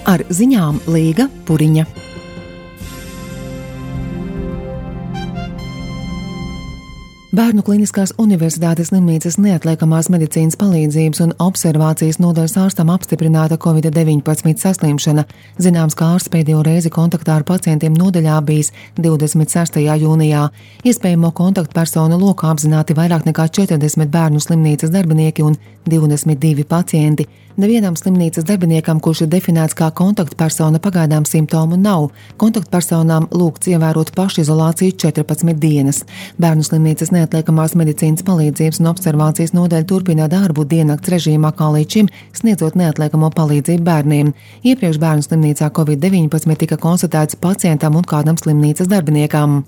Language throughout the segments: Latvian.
Ar ziņām Līga Puriņa. Bērnu Kliniskās Universitātes slimnīcas neatliekamās medicīnas palīdzības un observācijas nodaļas ārstam apstiprināta Covid-19 saslimšana. Zināms, ka ārsts pēdējo reizi kontaktā ar pacientiem nodaļā bijis 26. jūnijā. Iespējamo kontaktpersonu lokā apzināti vairāk nekā 40 bērnu slimnīcas darbinieki un 22 pacienti. Nevienam slimnīcas darbiniekam, kurš ir definēts kā kontaktpersona, pagaidām simptomu nav. Kontaktpersonām lūgts ievērot pašizolāciju 14 dienas. Bērnu slimnīcas neatliekamās medicīnas palīdzības un observācijas nodaļa turpina darbu diennakts režīmā kā līdz šim, sniedzot neatliekamo palīdzību bērniem. Iepriekš bērnu slimnīcā Covid-19 tika konstatēts pacientam un kādam slimnīcas darbiniekam.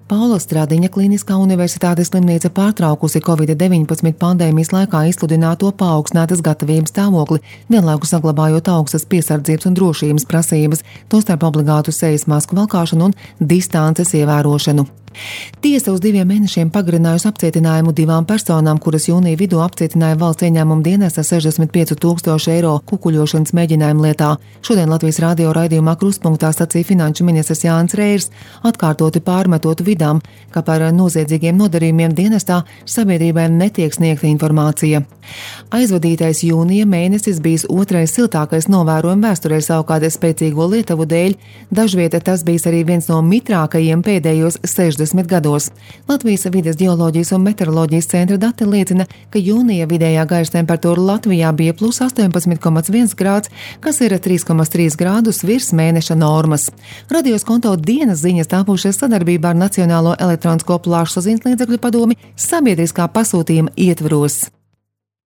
Paula Stradiņa Kliniskā Universitātes slimnīca pārtraukusi Covid-19 pandēmijas laikā izsludināto paaugstinātas gatavības stāvokli, vienlaikus saglabājot augstas piesardzības un drošības prasības, tostarp obligātu sejas masku valkāšanu un distances ievērošanu. Tiesa uz 2 mēnešiem pagarinājusi apcietinājumu 2 personām, kuras jūnija vidū apcietināja valsts ieņēmuma dienesta 65,000 eiro kukuļošanas mēģinājuma lietā. Šodien Latvijas radio raidījumā Kruspunktā sacīja finanšu ministrs Jānis Reirs, atkārtoti pārmetot vidām, ka par noziedzīgiem nodarījumiem dienestā sabiedrībai netiek sniegta informācija. Aizvadītais jūnija mēnesis bijis otrais siltākais novērojuma vēsturē, savukārt spēcīgo lietuvu dēļ dažvieta tas bijis arī viens no mitrākajiem pēdējos 60 gados. Latvijas vides geoloģijas un meteoroloģijas centra dati liecina, ka jūnija vidējā gaisa temperatūra Latvijā bija plus 18,1 grāds, kas ir 3,3 grādus virs mēneša normas. Radios konto dienas ziņas tāpušies sadarbībā ar Nacionālo elektronisko plašsaziņas līdzekļu padomi sabiedriskā pasūtījuma ietvaros.